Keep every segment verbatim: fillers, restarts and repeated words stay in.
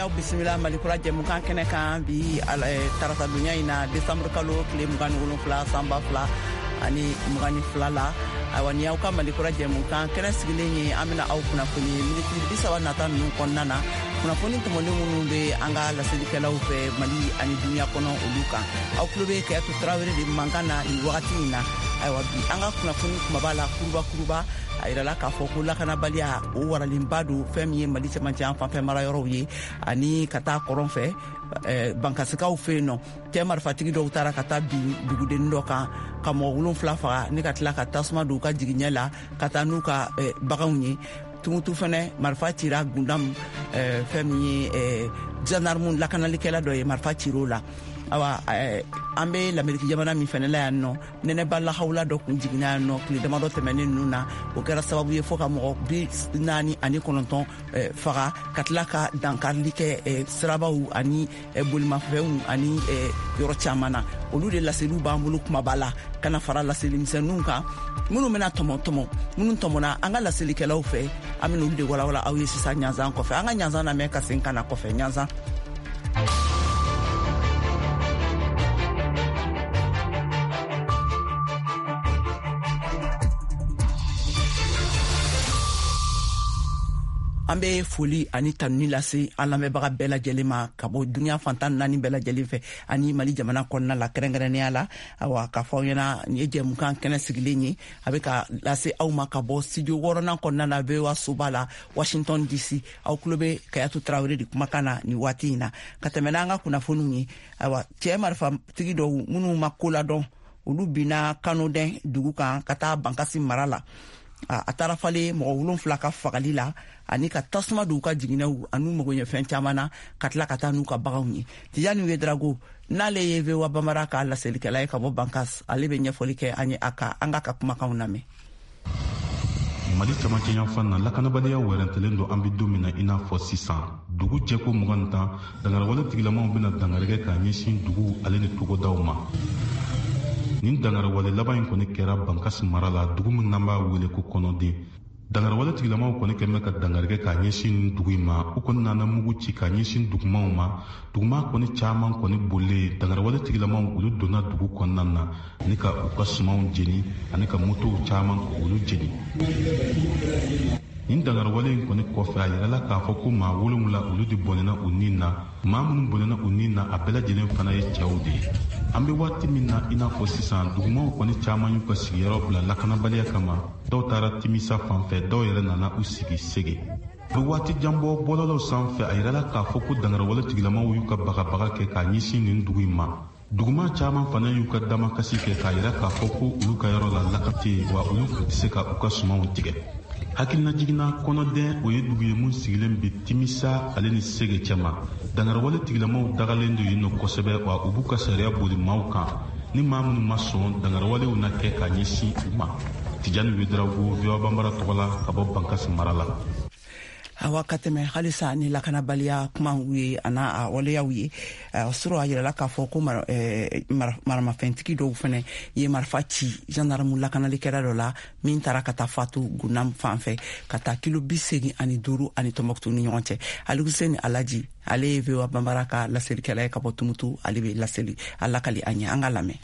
Y'aw bisimila Malikura jɛmukan kɛnɛ kan bi tarata donya in na, desanburu kalo tile mugan ni wolonfila, san ba fila ani mugan ni fila la. Ayiwa, ni y'aw ka Malikura jɛmukan kɛnɛ sigilen ye, an bɛna aw kunnafoni miniti bi saba nata ninnu kɔnɔna na, kunnafoni tɔmɔlen minnu bɛ an ka laselikɛlaw fɛ Mali ani duniya kɔnɔ, olu kan. Aw tulo bɛ Kayatu Tarawele de mankan na nin wagati in na. Ayiwa, bi an ka kunnafoni kumaba la, kuruba kuruba, a yirala k'a fɔ ko lakanabaliya o waralenba don fɛn min ye Mali cɛmancɛ yan fanfɛ marayɔrɔw ye ani ka taa kɔrɔn fɛ, Bankasikaw fɛ yen nɔ. Cɛ marifatigi dɔw taara ka taa bin dugudennin dɔ kan ka mɔgɔ wolonfila faga ni ka tila ka tasuma don u ka jigiɲɛ la ka taa n'u ka baganw ye. Tumutu fɛnɛ, marifa cira Gundam, fɛn min ye gendarme lakanalikɛla dɔ ye, marifa cir'o la. Awa, an bɛ Lameriki jamana min fɛnɛ la yan nɔ, nɛnɛba lahawula dɔ kun jiginna yan nɔ tile damadɔ tɛmɛnen ninnu na. O kɛra sababu ye fo ka mɔgɔ bi naani ani kɔnɔntɔn faga, ka tila ka dankarili kɛ sirabaw ani bolimafɛnw ani yɔrɔ caman na. Olu de laseliw b'an bolo kumaba la, ka na fara laselimisɛnninw kan minnu bɛna tɔmɔ tɔmɔ, minnu tɔmɔna an ka laselikɛlaw fɛ. An bɛna olu de walawala aw ye sisan ɲanzan kɔfɛ. An ka ɲanzan lamɛn ka segin ka na kɔfɛ ɲanzan. An bɛ foli ani tanuni lase an lamɛnbaga bɛɛ lajɛlen ma ka bɔ duniya fantan naani bɛɛ lajɛlen fɛ ani Mali jamana kɔnɔna la kɛrɛnkɛrɛnnenya la. Awa, k'a fɔ aw ɲɛna, nin ye jɛmukan kɛnɛ sigilen ye, a bɛ ka lase aw ma ka bɔ studio wɔɔrɔnan kɔnɔna na, V O A soba la, Washington D C. Aw tulo bɛ Kayatu Tarawele de kumakan na nin waati in na. Ka tɛmɛ n'an ka kunnafoniw ye, ayiwa, cɛ marifatigi dɔw minnu ma ko ladɔn, olu binna Kanodɛn dugu kan ka taa Bankasi mara la. A taara falen mɔgɔ wolonfila ka fagali la ani ka tasuma don u ka jiginɛw an'u magoɲɛfɛn caman na, ka tila ka taa n'u ka baganw ye. Tijani Wedrago, n'ale ye V O A Bambara ka laselikɛla ye ka bɔ Bankas, ale bɛ ɲɛfɔli kɛ an ye. A ka an ka ka kumakanw lamɛn. Mali camancɛ yanfan na, lakanabaliya wɛrɛntɛlen don. An bɛ don min na i n'a fɔ sisan, dugu jɛko mugan tan, dangariwale tigilamaw bɛna dangari kɛ k'a ɲɛsin dugu ale ni togodaw ma. Nin dangariwale laban in kɔni kɛra Bankasi mara la, dugu min n'an b'a wele ko Kɔnɔden. Dangariwale tigilamaw kɔni kɛn bɛ ka dangari kɛ k'a ɲɛsin nin dugu in ma. U kɔni nana mugu ci k'a ɲɛsin dugumaw ma. Duguma kɔni caman kɔni bolilen. Dangariwale tigilamaw, olu donna dugu kɔnɔna na ani ka u ka sumanw jeni ani ka motow caman olu jeni. Nin dangariwale in kɔni kɔfɛ, a yirala k'a fɔ ko maa wolonwula, olu de bɔnɛna u nin na. Maa minnu bɔnɛna u nin na, a bɛɛ lajɛlen fana ye cɛw de ye. An bɛ waati min na i n'a fɔ sisan, dugumaw kɔni caman y'u ka sigiyɔrɔ bila lakanabaliya kama. Dɔw taara Timisa fan fɛ, dɔw yɛrɛ nana u sigi Sege. A bɛ waati jan bɔ, bɔlɔlɔw sanfɛ, a yirala k'a fɔ ko dangariwale tigilamaw y'u ka bagabaga kɛ k'a ɲɛsin nin dugu in ma. Duguma caman fana y'u ka damakasi kɛ k'a yira k'a fɔ ko olu ka yɔrɔ la laka tɛ yen, wa olu tɛ se ka u ka sumanw tigɛ. Hakilina jiginna, Kɔnɔdɛn, o ye dugu ye mun sigilen bɛ Timisa ale ni Sege cɛma. Dangariwale tigilamaw dagalen don yen nɔ kosɛbɛ, wa u b'u ka sariya boli maaw kan. Ni maa minnu ma sɔn, dangariwalew na kɛ k'a ɲɛsin u ma. Tijani Wedarago, V O A Banbara tɔgɔ la ka bɔ Bankasi mara la. Awa, ka tɛmɛ halisa ni lakanabaliya kumaw ye a n'a a waleyaw ye sɔrɔ, a yirala k'a fɔ ko maramafɛntigi dɔw fɛnɛ ye marifa ci gendarme lakanalikɛla dɔ la min taara ka taa fatu Gunam fan fɛ, ka taa kilo bi segin ani duuru ani Tɔnbɔkutu ni ɲɔgɔn cɛ. Aliguseni Alaji, ale ye V O A Banbara ka laselikɛla ye ka bɔ Tumutu, ale bɛ laseli a lakali an ye. An ka lamɛn.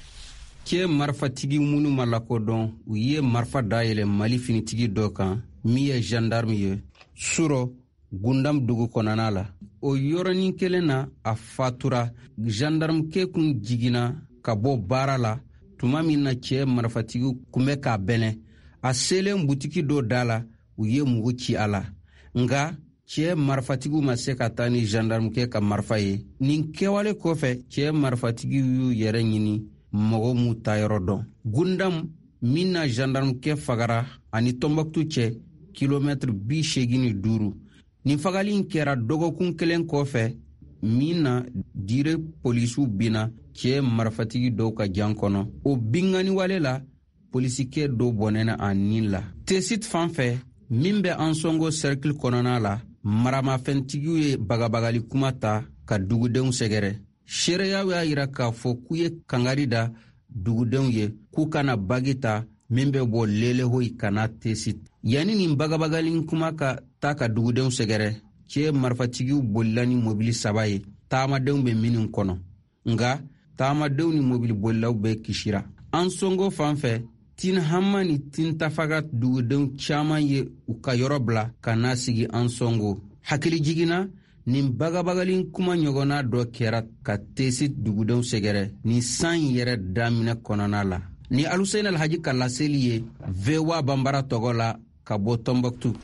Cɛ marifatigi minnu ma lakodɔn, u ye marifa dayɛlɛ Mali finitigi dɔ kan min ye gendarme ye surɔ Gundam dugu kɔnɔna la. O yɔrɔnin kelen na, a fatura. Gendarmekɛ kun jiginna ka bɔ baara la tuma min na cɛ marifatigi kun bɛ k'a bɛnɛ, a selen butiki dɔ da la, u ye mugu ci a la, nga cɛ marifatigiw ma se ka taa ni gendarmekɛ ka marifa ye. Nin kɛwale kɔfɛ, cɛ marifatigiw y'u yɛrɛ ɲini, mɔgɔ m'u ta yɔrɔ dɔn. Gundam min na gendarmekɛ fagara ani Tɔnbɔkutu cɛ kilomɛtiri bi seegin ni duuru. Nin fagali in kɛra dɔgɔkun kelen kɔfɛ min na Dire polisiw binna cɛ marifatigi dɔw ka jan kɔnɔ. O binganiwale la, polisikɛ dɔ bɔnɛna a nin la. Tesit fan fɛ min bɛ Ansɔngo cercle kɔnɔna la, maramafɛntigiw ye bagabagali kuma ta ka dugudenw sɛgɛrɛ. Seereyaw y'a yira k'a fɔ k'u ye kangari da dugudenw ye k'u kana bagi ta min bɛ bɔ Lelehoyi ka na Tesit. Yanni nin bagabagali kuma ka ta ka dugudenw sɛgɛrɛ, cɛ marifatigiw bolila ni mobili saba ye taamadenw bɛ minnu kɔnɔ, nka taamadenw ni mobili bolilaw bɛɛ kisira. Ansongo fan fɛ, Tinhama ni Tintafaga dugudenw caman ye u ka yɔrɔ bila ka na sigi Ansongo. Hakili jiginna, nin bagabagali kuma ɲɔgɔnna dɔ kɛra ka Tesi dugudenw sɛgɛrɛ nin san yɛrɛ daminɛ kɔnɔna la. Ni Aluseni Alhaji ka laseli ye V O A Banbara tɔgɔ la ka bɔ Tombouctou.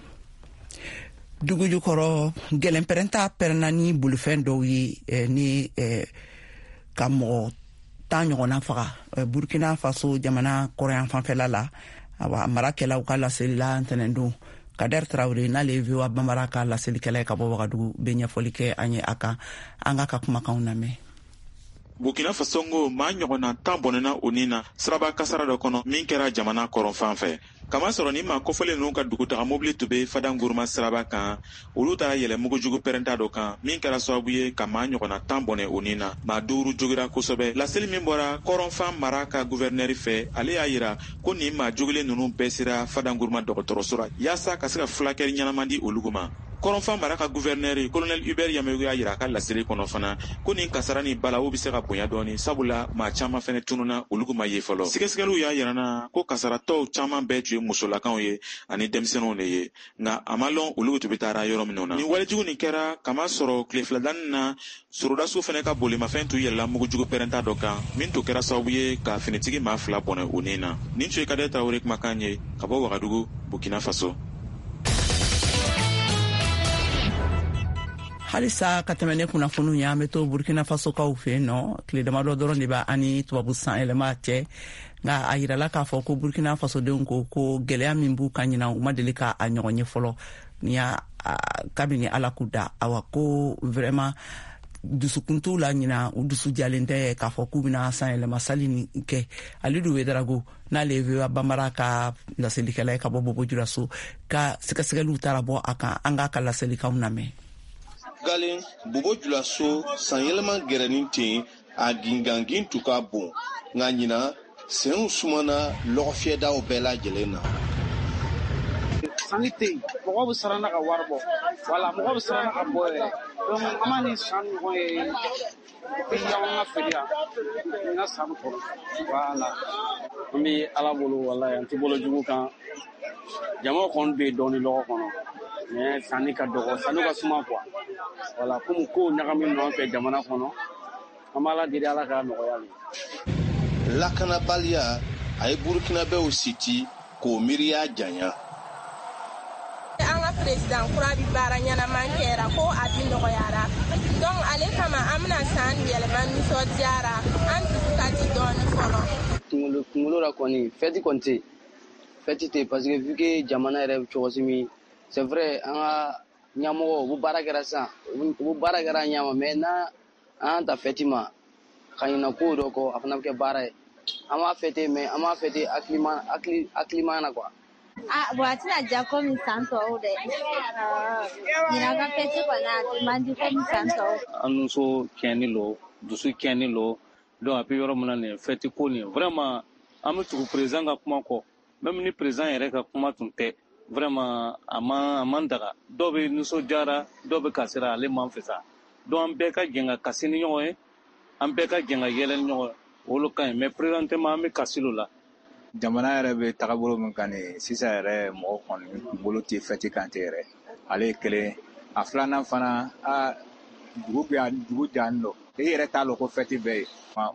Dugu jukɔrɔ gɛlɛnpɛrɛnta pɛrɛnna ni bolifɛn dɔw ye eh, ni eh, ka mɔgɔ tan ɲɔgɔnna faga eh, Burkina Faso jamana kɔrɔyan fanfɛla la. Awa, marakɛlaw ka laseli la ntɛnɛndon. Kader Traoré, n'ale ye V O A Banbara ka laselikɛla ye ka bɔ Wagadugu, bɛ ɲɛfɔli kɛ an ye a kan. An k'a ka kumakanw lamɛn. Burkina Faso ngo maa ɲɔgɔnna tan bɔnɛna o nin na siraba kasara dɔ kɔnɔ min kɛra jamana kɔrɔn fan fɛ. Kamasɔrɔ ni maa kofɔlen ninnu ka dugutaga mobili tun bɛ Fadanguruma siraba kan, olu taara yɛlɛ mugujugu pɛrɛnta dɔ kan min kɛra sababu ye ka maa ɲɔgɔnna tan bɔnɛ o nin na. Maa duuru jogira kosɛbɛ. Laseli min bɔra kɔrɔnfan mara ka guvɛrinɛri fɛ, ale y'a yira ko nin maa jogilen ninnu bɛɛ sera Fadanguruma dɔgɔtɔrɔso la yaasa ka se ka furakɛli ɲɛnama di olu ma. Kɔrɔnfan mara ka guvɛrinɛri Colonel Hubert Yamegu y'a yira a ka laseli kɔnɔ fana ko nin kasara ni balawu bɛ se ka bonya dɔɔni, sabula maa caman fɛnɛ tununa, olu ma ye fɔlɔ. Sɛgɛsɛgɛliw y'a yira na ko kasaratɔw caman bɛɛ tun ye musolakaw ye ani denmisɛnninw de ye, nka a ma lɔn olu tun bɛ taara yɔrɔ minnu na. Nin walejugu nin kɛra kamasɔrɔ tile filadanni na sorodasiw fɛnɛ ka bolimafɛn tun yɛlɛla mugujugu pɛrɛnta dɔ kan min tun kɛra sababu ye ka finitigi maa fila bɔnɛ o nin na. Nin tun ye Kader Traoré kumakan ye ka bɔ Wagadugu, Burkina Faso. Halisa ka tɛmɛ ne kunnafoniw ye, an bɛ to Burkina Faso kaw fɛ yen nɔ. Tile damadɔ dɔrɔn de b'a ani tubabu san yɛlɛma cɛ, nka a yirala k'a fɔ ko Burkina Fasodenw ko ko gɛlɛya min b'u kan ɲinan, u ma deli k'a ɲɔgɔn ye fɔlɔ ni y'a kabini Ala k'u da. Awa, ko vraiment dusukun t'u la ɲinan, u dusu jalen tɛ k'a fɔ k'u bɛna san yɛlɛma sali nin kɛ. Alidu Wedarago, n'ale ye V O A Banbara ka laselikɛla ye ka bɔ Bobo Julaso, ka sɛgɛsɛgɛliw taara bɔ a kan. An k'a ka laselikanw lamɛn. Galen Bobo Julaso san yɛlɛma gɛrɛnin ten, a gingangin tun ka bon, nka ɲinan senw sumana lɔgɔfiyɛdaw bɛɛ lajɛlen na. Sanni tɛ yen, mɔgɔw bɛ siran ka wari bɔ, wala mɔgɔw bɛ siran ka bɔ yɛrɛ. Donc an b'a ni san ɲɔgɔn ye depuis anw ka feere yan ɲinan san kɔnɔ, wala. An bɛ Ala bolo, walayi an tɛ bolo jugu kan. Jama kɔni bɛ yen dɔɔni lɔgɔ kɔnɔ, mais sanni ka dɔgɔ, sanni ka suma quoi. Wala komi kow ɲagaminen don an fɛ jamana kɔnɔ, an b'Ala deli Ala k'a nɔgɔya ye. Lakanabaliya a ye Burkinabɛw siti k'o miiriya janya. An ka président kura bi baara ɲɛnaman kɛra ko a bi nɔgɔyara, donc ale kama an bɛna san yɛlɛma nisɔndiyara, an dusu ka di dɔɔni fɔlɔ. Kunkolo kunkolo la kɔni fɛti kɔni tɛ yen, fɛti tɛ yen parce que vu que jamana yɛrɛ bɛ cogo si min, c'est vrai an ka ɲɛmɔgɔw u bɛ baara kɛra sisan, u bɛ baara kɛra ɲɛ ma, mais n'an an ta fɛti ma ka ɲinɛ kow dɔ kɔ, a fana bɛ kɛ baara ye. An b'a fêter, mais an b'a fêter hakilima hakili hakilima na quoi. Ah, bon, a tɛna diya komi san tɔw dɛ. Ɲinan ka fɛti kɔni a man di komi san tɔw. An muso tiɲɛni lo, dusu tiɲɛni lo, donc a bɛ yɔrɔ min na nin fɛti ko nin, vraiment an bɛ tugu président ka kuma kɔ, même ni président yɛrɛ ka kuma tun tɛ, vraiment a man a man daga. Dɔw bɛ nisɔndiyara, dɔw bɛ kasira, ale man fisa. Donc an bɛɛ ka jɛn ka kasi ni ɲɔgɔn ye, an bɛɛ ka jɛn ka yɛlɛ ni ɲɔgɔn ye, olu ka ɲi, mais présentement an bɛ kasi lo la. Jamana yɛrɛ bɛ tagabolo min kan nin sisan yɛrɛ, mɔgɔ kɔni kunkolo tɛ fɛti kan tɛ yɛrɛ. Ale ye kelen, a filanan fana, a dugu bɛ yan, dugu jalen don, e yɛrɛ t'a lɔn ko fɛti bɛ yen,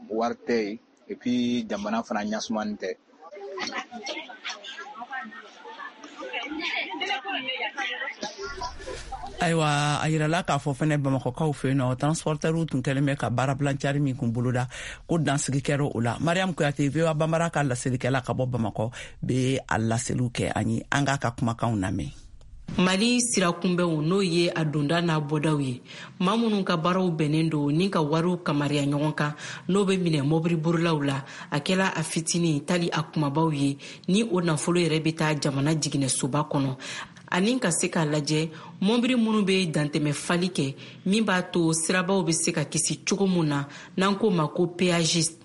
wari tɛ yen, et puis jamana fana ɲasumani tɛ. Ayiwa, a yirala k'a fɔ fɛnɛ Bamakɔkaw fɛ yen nɔ, transportɛriw tun kɛlen bɛ ka baarabilancari min kun boloda, ko dansigi kɛra o la. Mariam Kuyate, V O A Banbara ka laselikɛla ka bɔ Bamakɔ, bɛ a laseliw kɛ an ye. An k'a ka kumakanw lamɛn. Mali sirakunbɛnw, n'o ye a donda n'a bɔdaw ye, maa minnu ka baaraw bɛnnen don ni ka wariw kamariya ɲɔgɔn kan, n'o bɛ minɛ mɔbiliborilaw la, a kɛla a fitinin tali a kumabaw ye, ni o nafolo yɛrɛ bɛ taa jamana jiginɛsoba kɔnɔ, ani ka se k'a lajɛ mɔbili minnu bɛ dantɛmɛ fali kɛ, min b'a to sirabaw bɛ se ka kisi cogo min na, n'an k'o ma ko péagiste.